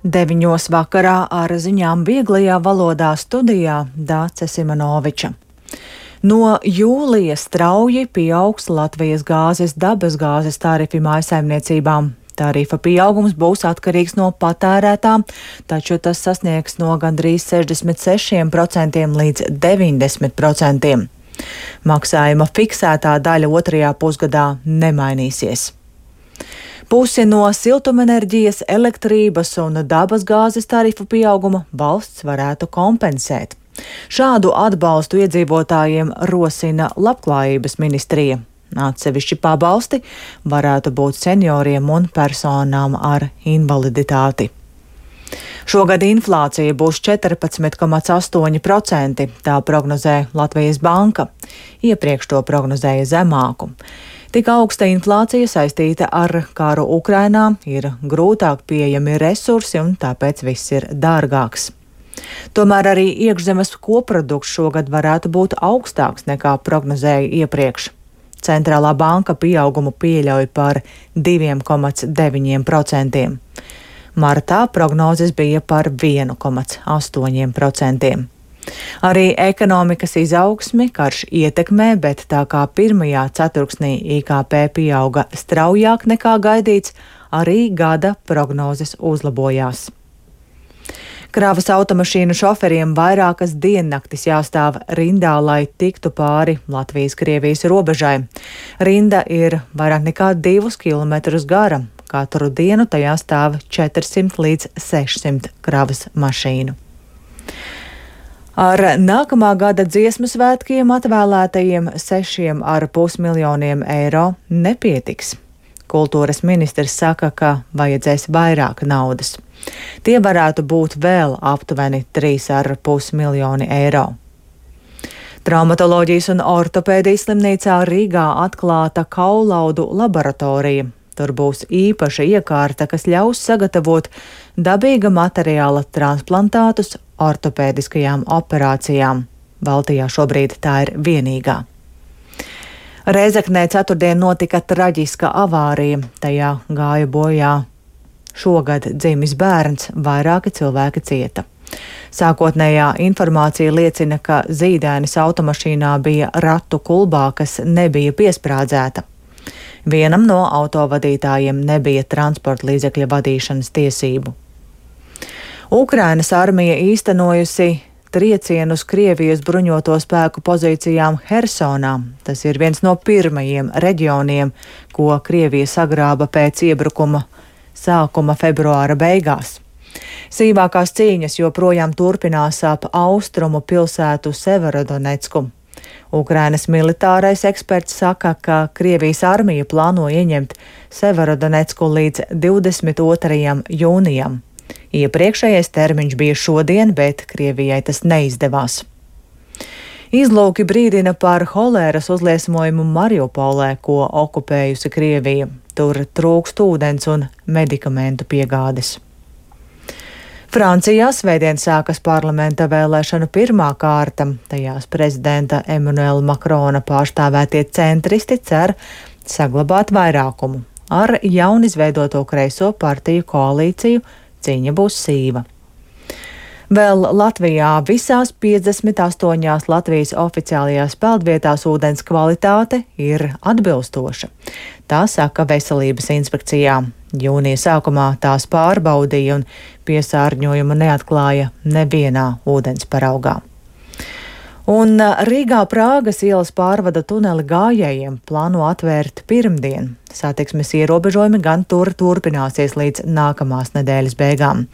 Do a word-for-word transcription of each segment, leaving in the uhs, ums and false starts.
Deviņos vakarā ar ziņām vieglajā valodā studijā Dāce Simonoviča. No jūlija strauji pieaugs Latvijas gāzes dabasgāzes tarifi mājsaimniecībām. Tarifa pieaugums būs atkarīgs no patērētām, taču tas sasniegs no gandrīz sešdesmit sešiem procentiem līdz deviņdesmit procentiem. Maksājuma fiksētā daļa otrajā pusgadā nemainīsies. Pusi no siltumenerģijas, elektrības un dabasgāzes tarifu pieauguma valsts varētu kompensēt. Šādu atbalstu iedzīvotājiem rosina Labklājības ministrija. Atsevišķi pabalsti varētu būt senioriem un personām ar invaliditāti. Šogad inflācija būs četrpadsmit komats astoņi procenti, tā prognozē Latvijas banka. Iepriekš to prognozēja zemāku. Tik augsta inflācija saistīta ar karu Ukrainā, ir grūtāk pieejami resursi un tāpēc viss ir dārgāks. Tomēr arī iekšzemes koprodukts šogad varētu būt augstāks nekā prognozēja iepriekš. Centrālā banka pieaugumu pieļauj par diviem komats deviņiem procentiem. Martā prognozes bija par vienu komats astoņiem procentiem. Arī ekonomikas izaugsmi karš ietekmē, bet tā kā pirmajā ceturksnī I K P pieauga straujāk nekā gaidīts, arī gada prognozes uzlabojās. Kravas automašīnu šoferiem vairākas diennaktis jāstāv rindā, lai tiktu pāri Latvijas-Krievijas robežai. Rinda ir vairāk nekā divus kilometrus gara. Katru dienu tajā stāv četrsimt līdz sešsimt kravas mašīnu. Ar nākamā gada dziesmu svētkiem atvēlētajiem sešiem ar pus miljoniem eiro nepietiks. Kultūras ministrs saka, ka vajadzēs vairāk naudas. Tie varētu būt vēl aptuveni trīs ar pus miljoni eiro. Traumatoloģijas un ortopēdijas slimnīcā Rīgā atklāta kaulaudu laboratorija. Tur būs īpaša iekārta, kas ļaus sagatavot dabīga materiāla transplantātus ortopēdiskajām operācijām. Baltijā šobrīd tā ir vienīgā. Rēzeknē ceturtdien notika traģiska avārija. Tajā gāja bojā šogad dzimis bērns, vairāki cilvēki cieta. Sākotnējā informācija liecina, ka zīdainis automašīnā bija ratu kulbā, kas nebija piesprādzēta. Vienam no autovadītājiem nebija transporta līdzekļa vadīšanas tiesību. Ukrainas armija īstenojusi triecienu uz Krievijas bruņoto spēku pozīcijām Hersonā. Tas ir viens no pirmajiem reģioniem, ko Krievija sagrāba pēc iebrukuma sākuma februāra beigās. Sīvākās cīņas joprojām turpinās ap austrumu pilsētu Severodonecku. Ukrainas militārais eksperts saka, ka Krievijas armija plāno ieņemt Severodonecku līdz divdesmit otrajam jūnijam. Iepriekšējais termiņš bija šodien, bet Krievijai tas neizdevās. Izlūki brīdina par holēras uzliesmojumu Mariupolē, ko okupējusi Krievija. Tur trūkst ūdens un medikamentu piegādes. Francijā svētdien sākas parlamenta vēlēšanu pirmā kārta. Tajās prezidenta Emmanuela Makrona pārstāvētie centristi cer saglabāt vairākumu. Ar jaunizveidoto kreiso partiju koalīciju cīņa būs sīva. Vēl Latvijā visās piecdesmit astoņās Latvijas oficiālajās peldvietās ūdens kvalitāte ir atbilstoša. Tā saka Veselības inspekcijā. Jūnija sākumā tās pārbaudīja un piesārņojumu neatklāja nevienā ūdens paraugā. Un Rīgā Prāgas ielas pārvada tuneli gājējiem plāno atvērt pirmdien. Satiksmes ierobežojumi gan tur turpināsies līdz nākamās nedēļas beigām.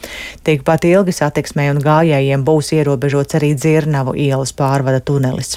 Tikpat ilgi satiksmei un gājējiem būs ierobežots arī Dzirnavu ielas pārvada tunelis.